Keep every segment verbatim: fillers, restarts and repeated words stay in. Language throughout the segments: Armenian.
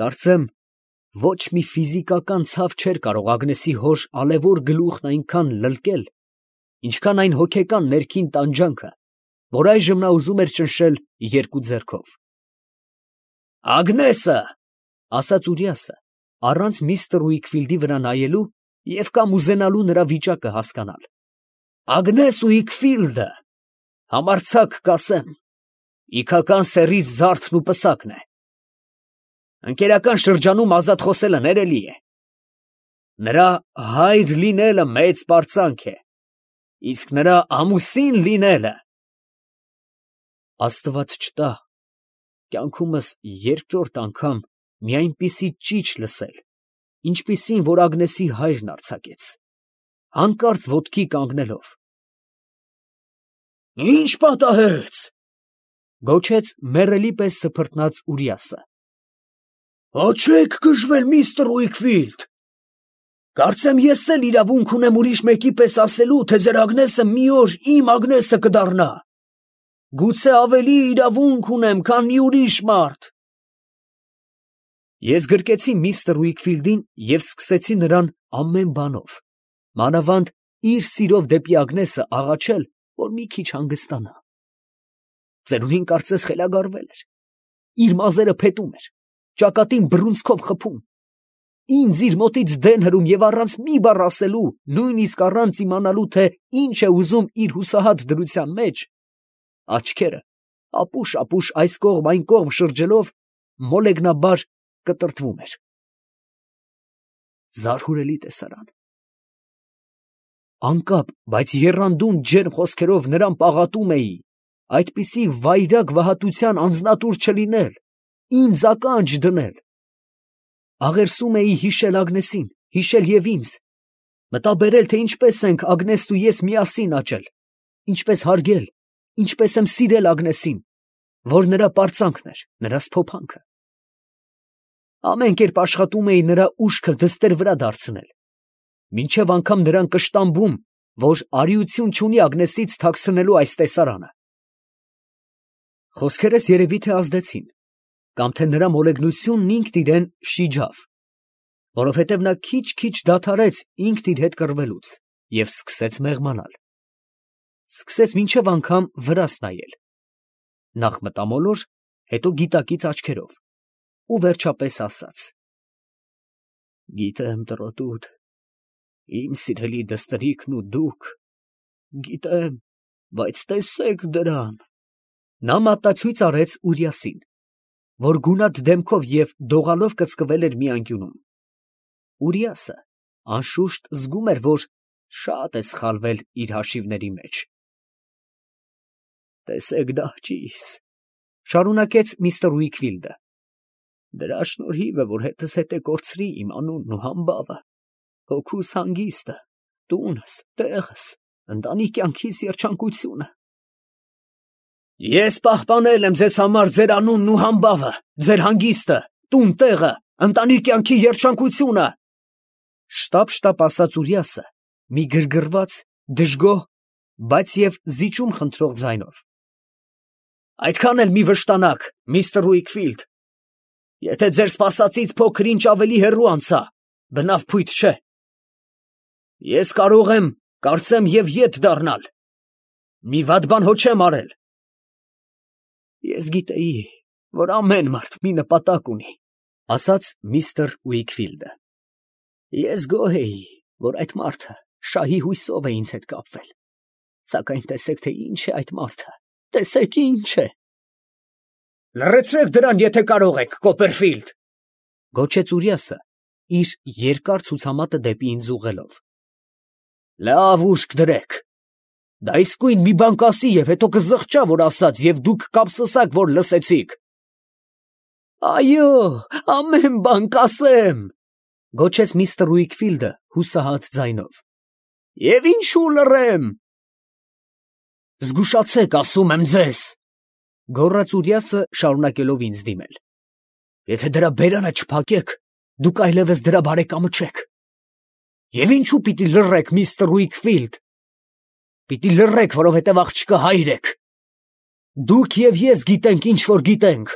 Կարծեմ, ոչ մի ֆիզիկական ցավ չէր կարող Ագնեսի հոր ալևոր գլուխն այնքան լլկել, ինչքան այն հոգեկան ներքին տանջանքը, որ այժմ նա ուզում էր ճնշել երկու ձեռքով։ «Ագնեսը, ֊ ասաց Ուրիասը, առանց միստր Ուիքֆիլդի վրա նայելու և կամ ուզենալու նրա վիճակը հասկանալ, ֊ Ագնես Ուիքֆիլդը, համարձակ կասեմ, իգական սեռից զարդն ու պսակն է։ Ընկերական շրջանում ազատ խոսելը ներելի է։ Նրա հայր լինելը մեծ պարծանք է, իսկ նրա ամուսին լինելը… Աստված չտա կյանքումս երկրորդ անգամ մի այնպիսի ճիչ լսել, ինչպիսին, որ Ագնեսի հայրն արձակեց, հանկարծ ոտքի կանգնելով։ ֊ Ի՞նչ պատահեց, ֊ գոչեց մեռելի պես սփռտնաց Ուրիասը։ ֊ Հաչեք գժվել, միստր Ուիքֆիլդ. կարծեմ ես էլ իրավունք ունեմ ուրիշ մեկի պես ասելու, թե ձեր Ագնեսը մի օր իմ Ագնեսը կդառնա. գուցե ավելի իրավունք ունեմ, քան մի ուրիշ մարդ… Ես գրկեցի միստր Ուիքֆիլդին և սկսեցի նրան ամեն բանով, մանավանդ իր սիրով դեպի Ագնեսը աղաչել, որ մի քիչ հանգստանա… Ծերունին կարծես խելագարվել էր, իր մազերը փետում էր, ճակատին բռունցքով խփում, ինձ իր մոտից դեն հրում և առանց մի բառ ասելու, նույնիսկ առանց իմանալու, թե ինչ է ուզում իր հուսահատ դրության մեջ, աչքերը ապուշ֊ապուշ այս կողմ այն կողմ շրջելով, մոլեգնաբար կտրտվում էր… Զարհուրելի տեսարան… Անկապ, բայց եռանդուն ջերմ խոսքերով նրան պաղատում էի այդպիսի վայրագ վհատության անձնատուր չլինել, ինձ ականջ դնել… Աղերսում էի հիշել Ագնեսին, հիշել և ինձ, մտաբերել, թե ինչպես ենք Ագնեսն ու ես միասին աճել, ինչպես հարգել, ինչպես եմ սիրել Ագնեսին, որ նրա պարծանքն էր, նրա սփոփանքը… Ամեն կերպ աշխատում էի նրա ուշքը դստեր վրա դարձնել, մինչև անգամ նրան կշտամբում, որ արիություն չունի Ագնեսից թաքցնելու այս տեսարանը… Խոսքերս երևի թե ազդեցին, կամ թե նրա մոլեգնությունն ինքն իրան շիջավ, որովհետև նա քիչ֊քիչ դադարեց ինքն իր հետ կռվելուց և սկսեց մեղմանալ… Սկսեց մինչև անգամ վրաս նայել, նախ մտամոլոր, հետո գիտակից աչքերով, ու վերջապես ասաց. «Գիտեմ, տղոտուդ, իմ սիրելի դստերիկն ու դուք, գիտեմ, բայց տեսեք դրան…» Նա մատնացույց արեց Ուրիասին, որ գունատ դեմքով և դողալով կծկվել էր մի անկյունում… Ուրիասը, անշուշտ, զգում էր, որ շատ է սխալվել իր հաշիվների մեջ… «Տեսեք դահճիս, ֊ շարունակեց միստր Ուիքֆիլդը, ֊ դրա շնորհիվ է, որ հետզհետե կորցրի իմ անունն ու համբավը, հոգուս հանգիստը, տունս, տեղս, ընտանի կյանքիս երջանկությունը… Ես պահպանել եմ ձեզ համար ձեր անունն ու համբավը, ձեր հանգիստը, տուն֊տեղը, ընտանի կյանքի երջանկությունը… Շտապ֊շտապ ասաց Ուրիասը մի գրգռված, դժգոհ, բայց և զիջում խնդրող ձայնով։ Այդքան էլ մի վշտանաք, միստր Ուիքֆիլդ… Եթե ձեր սպասածից փոքր ինչ ավելի հեռու անցա, բնավ փույթ չէ… Ես կարող եմ, կարծեմ, և ետ դառնալ… Մի վատ բան հո չեմ արել… Ես գիտեի, որ ամեն մարդ մի նպատակ ունի, ֊ ասաց միստր Ուիքֆիլդը… Ես գոհ էի, որ այդ մարդը շահի հույսով է ինձ հետ կապվել… Սակայն տեսեք, թե ինչ է այդ մարդը… Տեսեք, ինչ է… Լռեցրեք դրան, եթե կարող եք, Կոպերֆիլդ… ֊ գոչեց Ուրիասը, իր երկար ցուցամատը դեպի ինձ ուղղելով։ ֊ Լավ ուշք դրեք… Դա իսկույն մի բան կասի և հետո կզղջա, որ ասաց, և դուք կափսոսաք, որ լսեցիք… ֊ Այո, ամեն բան կասեմ… ֊ գոչեց միստր Ուիքֆիլդը հուսահատ ձայնով։ ֊ Եվ ինչու լռեմ… ֊ Զգուշացեք, ասում եմ ձեզ… ֊ գոռաց Ուրիասը, շարունակելով ինձ դիմել։ ֊ Եթե դրա բերանը չփակեք, դուք այլևս դրա բարեկամը չեք… Եվ ինչու պիտի լռեք, միստր Ուիքֆիլդ… Պիտի լռեք, որովհետև աղջկա հայր եք… Դուք և ես գիտենք, ինչ որ գիտենք…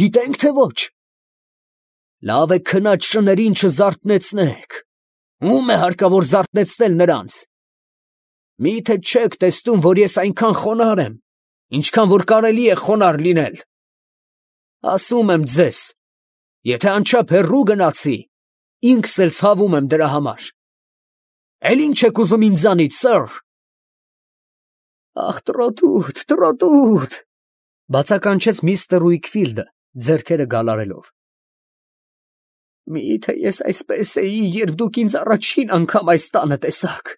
Գիտե՞նք, թե ոչ… Լավ է քնած շներին չզարթնեցնեք։ Ո՞ւմ է հարկավոր զարթնեցնել նրանց։ Մի՞թե չեք տեսնում, որ ես այնքան խոնարհ եմ, ինչքան որ կարելի է խոնարհ լինել։ Ասում եմ ձեզ, եթե անչափ հեռու գնացի, ինքս էլ ցավում եմ դրա համար։ Էլ ի՞նչ եք ուզում ինձանից, սըր։ Ախ, տրոտուտ, տրոտուտ, բացականչեց միստր Ուիքֆիլդը, ձեռքերը գալարելով։ Մի՞թե ես այսպես էի, երբ դուք ինձ առաջին անգամ այս տանը տեսաք։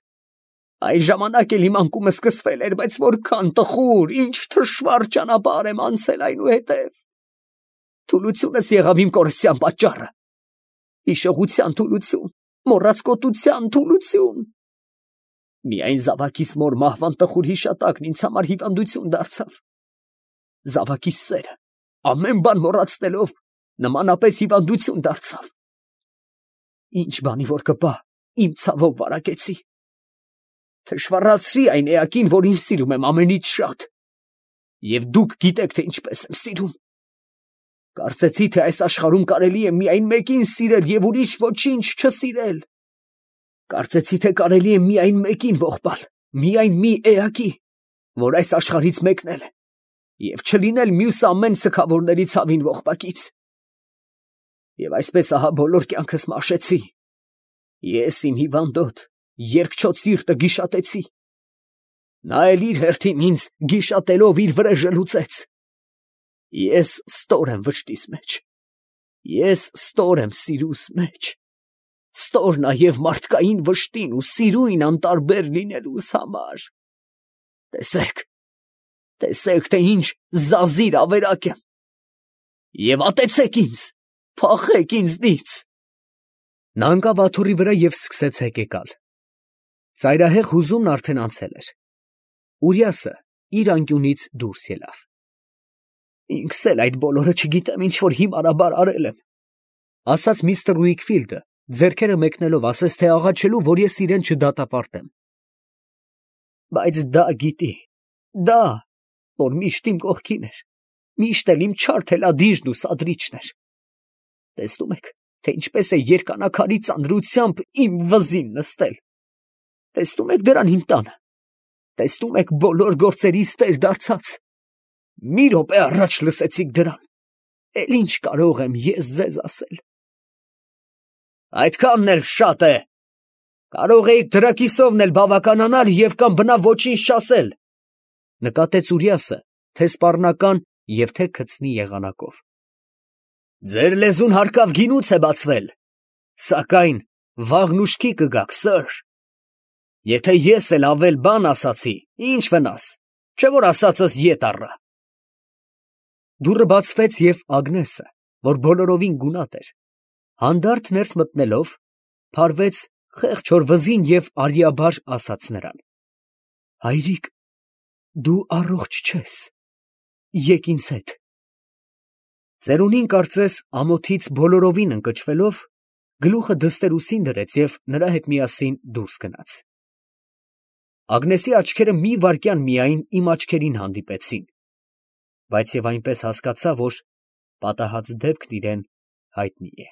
Այս ժամանակ էլ իմ անկումը սկսվել էր, բայց որքան տխուր, ինչ թշվառ ճանապարհ եմ անցել այնուհետև։ Թուլությունս եղավ իմ կորստյան պատճառը։ Հիշողության թուլություն, մոռացկոտության թուլություն։ Միայն զավակիս մոր մահվան տխուր հիշատակն ինձ համար հիվանդություն դարձավ։ Զավակիս սերը, ամեն բան մոռացնելով, նմանապես հիվանդություն դարձավ։ Ինչ բանի որ կպա, իմ ցավով վարակեցի։ Թշվառացրի այն էակին, որ ինձ սիրում եմ ամենից շատ։ Եվ դուք գիտեք, թե ինչպես եմ սիրում։ Կարծեցի, թե այս աշխարհում կարելի է միայն մեկին սիրել և ուրիշ ոչինչ չսիրել։ Կարծեցի, թե կարելի է միայն մեկին ողբալ, միայն մի էակի, որ այս աշխարհից մեկնել է, և չլինել մյուս ամեն սգավորների ցավին ողբակից։ Եվ այսպես ահա բոլոր կյանքս մաշեցի։ Ես իմ հիվանդոտ, երկչոտ սիրտը գիշատեցի։ Նա էլ իր հերթին ինձ գիշատելով իր վրեժը լուծեց։ Ես ստոր եմ վշտիս մեջ, ես ստոր եմ սիրուս մեջ, ստոր նաև մարդկային վշտին ու սիրույն անտարբեր լինելուս համար։ Տեսեք, տեսեք, թե ինչ զազիր ավերակ եմ։ Եվ ատեցեք ինձ, փախեք ինձնից։ Նա ընկավ աթոռի վրա և սկսեց հեկեկալ։ Ծայրահեղ հուզումն արդեն անցել էր։ Ուրիասը իր անկյունից դուրս ելավ։ Ինքս էլ այդ բոլորը չգիտեմ ինչ որ հիմարաբար արել եմ, ասաց միստր Ուիքֆիլդը, ձեռքերը մեկնելով ասես թե աղաչելու, որ ես իրեն չդատապարտեմ։ Բայց դա գիտի, դա, որ միշտ իմ կողքին էր, միշտ էլ իմ չար թելադիրն ու սադրիչն էր։ Տեսնում եք, թե ինչպես է երկանակարի ծանրությամբ իմ վզին նստել։ Տեսնում եք դրան իմ տանը, տեսնում եք բոլոր գործերիս տեր դարձած։ Մի րոպե առաջ լսեցիք դրան, էլ ինչ կարող եմ ես ձեզ ասել։ Այդքանն էլ շատ է, կարող էիք դրա կիսովն էլ բավականանալ և կամ բնավ ոչինչ չասել, նկատեց Ուրիասը, թե սպառնական և թե քցնի եղանակով։ Ձեր լեզուն հարկավ գինուց է բացվել, սակայն վաղն ուշքի կգաք, սըր։ Եթե ես էլ ավել բան ասացի, ինչ վնաս, չէ որ ասածս ետ առա։ Դուռը բացվեց և Ագնեսը, որ բոլորովին գունատ էր, հանդարտ ներս մտնելով, փարվեց խեղճ հոր վզին և արիաբար ասաց նրան. Հայրիկ, դու առողջ չես, եկ ինձ հետ։ Ծերունին կարծես ամոթից բոլորովին ընկճվելով, գլուխը դստերուսին դրեց և նրա հետ միասին դուրս գնաց։ Ագնեսի աչքերը մի վայրկյան միայն իմ աչքերին հանդիպեցին, բայց և այնպես հասկացա, որ պատահած դեպքն իրեն հայտնի է։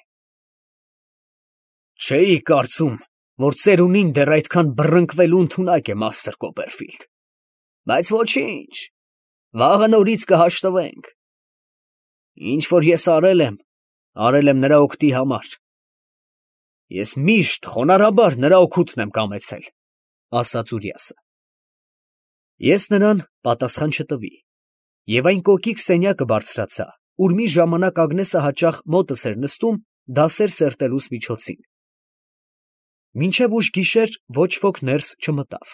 Չէի կարծում, որ ծերունին դեռ այդքան բռնկվելու ընդունակ է, մաստր Կոպերֆիլդ, բայց ոչինչ, վաղը նորից կհաշտվենք։ Ինչ որ ես արել եմ, արել եմ նրա օգտի համար։ Ես միշտ խոնարհաբար նրա օգուտն եմ կամեցել, ասաց Ուրիասը։ Ես նրան պատասխան չտվի, և այն կոկիկ սենյակը բարձրացա, ուր մի ժամանակ Ագնեսը հաճախ մոտս էր նստում դասեր սերտելուս միջոցին։ Մինչև ուշ գիշեր ոչ ոք ներս չմտավ։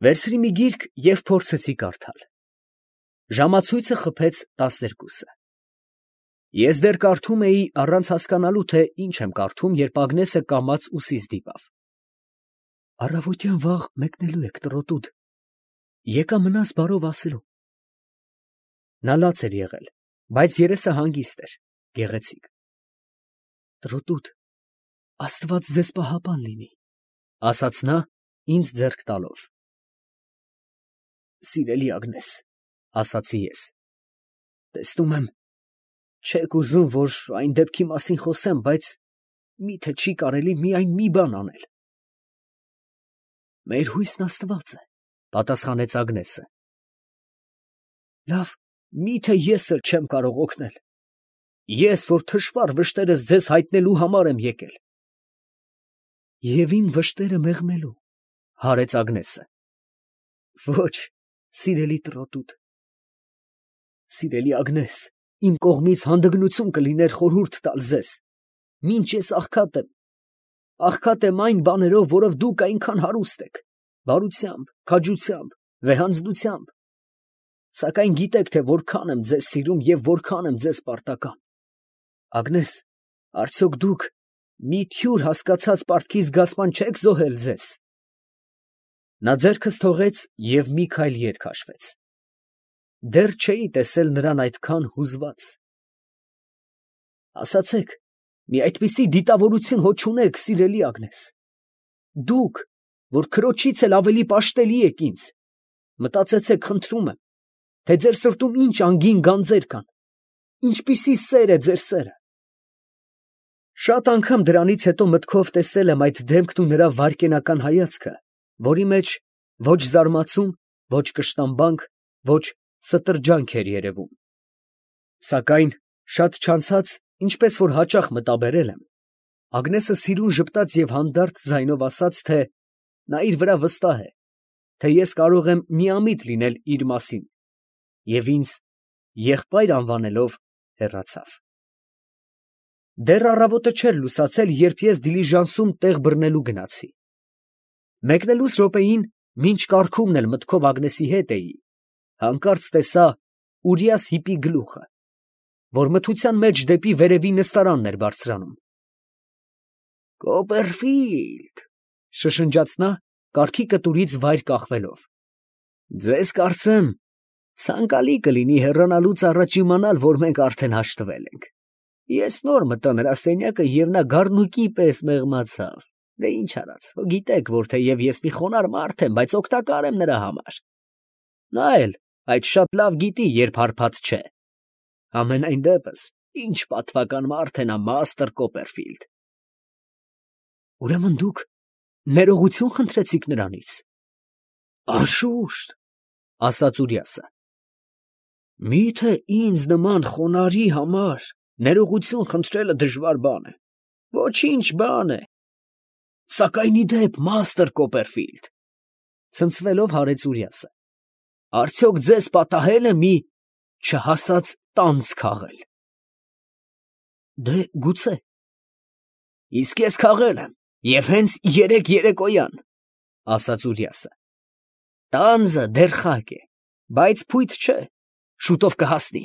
Վերցրի մի գիրք և փորձեցի կարդալ։ Ժամացույցը խփեց տասներկուսը։ Ես դեռ կարդում էի առանց հասկանալու, թե ինչ եմ կարդում, երբ Ագնեսը կամաց ուսիս դիպավ։ Առավոտյան վաղ մեկնելու եք, տրոտուդ, եկա մնաս բարով ասելու։ Նա լաց էր եղել, բայց երեսը հանգիստ էր, գեղեցիկ։ Տրոտուդ, Աստված ձեզ պահապան լինի, ասաց նա, ինձ ձեռք տալով։ Սիրելի Ագնես, ասացի ես, տեսնում եմ, Չեք ուզում, որ այն դեպքի մասին խոսեմ, բայց միթե չի կարելի միայն մի բան անել։ Մեր հույսն Աստված է, պատասխանեց Ագնեսը։ Լավ, միթե ես էլ չեմ կարող օգնել։ Ես, որ թշվառ վշտերս ձեզ հայտնելու համար եմ եկել։ Եվ իմ վշտերը մեղմելու, հարեց Ագնեսը։ Ոչ, սիրելի տրոտուտ։ Սիրելի Ագնես, իմ կողմից հանդգնություն կլիներ խորհուրդ տալ ձեզ, մինչ ես աղքատ եմ, աղքատ եմ այն բաներով, որով դուք այնքան հարուստ եք, բարությամբ, քաջությամբ, վեհանձնությամբ, սակայն գիտեք, թե որքան եմ ձեզ սիրում և որքան եմ ձեզ պարտական։ Ագնես, արդյոք դուք մի թյուր հասկացած պարտքի զգացման չեք զոհել ձեզ։ Նա ձեռքս թողեց և մի քայլ ետ քաշվեց։ Դեռ չէի տեսել նրան այդքան հուզված։ Ասացեք, մի այդպիսի դիտավորություն հո չունեք, սիրելի Ագնես։ Դուք, որ քրոջից էլ ավելի պաշտելի եք ինձ, մտածեցեք, խնդրում եմ, թե ձեր սրտում ինչ անգին գանձեր կան, ինչպիսի սեր է ձեր սերը։ Շատ անգամ դրանից հետո մտքով տեսել եմ այդ դեմքն ու նրա վայրկենական հայացքը, որի մեջ ոչ զարմացում, ոչ կշտամբանք, ոչ ստրջանք էր երևում։ Սակայն շատ չանցած, ինչպես որ հաճախ մտաբերել եմ, Ագնեսը սիրուն ժպտաց և հանդարտ ձայնով ասաց, թե նա իր վրա վստահ է, թե ես կարող եմ միամիտ լինել իր մասին, և ինձ եղբայր անվանելով հեռացավ։ Դեռ առավոտը չէր լուսացել, երբ ես դիլիժանսում տեղ բռնելու գնացի։ Մեկնելուս րոպեին, մինչ կառքումն էլ մտքով Ագնեսի հետ էի, հանկարծ տեսա Ուրիաս հիպի գլուխը, որ մթության մեջ դեպի վերևի նստարանն էր բարձրանում։ Կոպերֆիլդ, շշնջաց նա, կառքի կտուրից վայր կախվելով։ Ձեզ կարծեմ, ցանկալի կլինի հեռանալուց առաջ իմանալ, որ մենք արդեն հաշտվել ենք։ Ես նոր մտա նրա սենյակը և նա գառնուկի պես մեղմացավ։ Դե ինչ արած, գիտեք, որ թեև ես մի խոնարհ մարդ եմ, բայց օգտակար եմ նրա համար։ Նա էլ այդ շատ լավ գիտի, երբ հարբած չէ։ Համենայն դեպս, ինչ պատվական մարդ է նա մաստր Կոպերֆիլդ։ Ուրեմն դուք ներողություն խնդրեցիք նրանից։ Անշուշտ, ասաց Ուրիասը։ Միթե ինձ նման խոնարհի համար ներողություն խնդրելը դժվար բան է։ Ոչինչ բան է։ Սակայն ի դեպ, մաստր Կոպերֆիլդ, ցնցվելով հարեց Ուրիասը, արդյոք ձեզ պատահել է մի չհասած տանձ քաղել։ Դե գուցե։ Իսկ ես քաղել եմ, և հենց երեկ երեկոյան, ասաց Ուրիասը։ Տանձը դեռ խակ է, բայց փույթ չէ, շուտով կհասնի։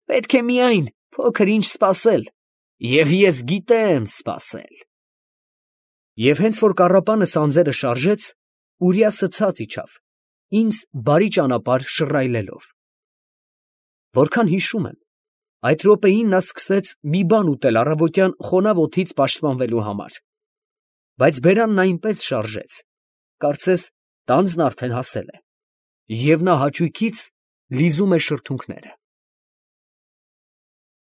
Պետք է միայն փոքր ինչ սպասել, և ես գիտեմ սպասել։ Եվ հենց որ կառապանը սանձերը շարժեց, Ուրիասը ցած իջավ, ինձ բարի ճանապարհ շռայլելով։ Որքան հիշում եմ, այդ րոպեին նա սկսեց մի բան ուտել առավոտյան խոնավ օդից պաշտպանվելու համար, բայց բերանն այնպես շարժեց, կարծես տանձն արդեն հասել է, և նա հաճույքից լիզում է շրթունքները։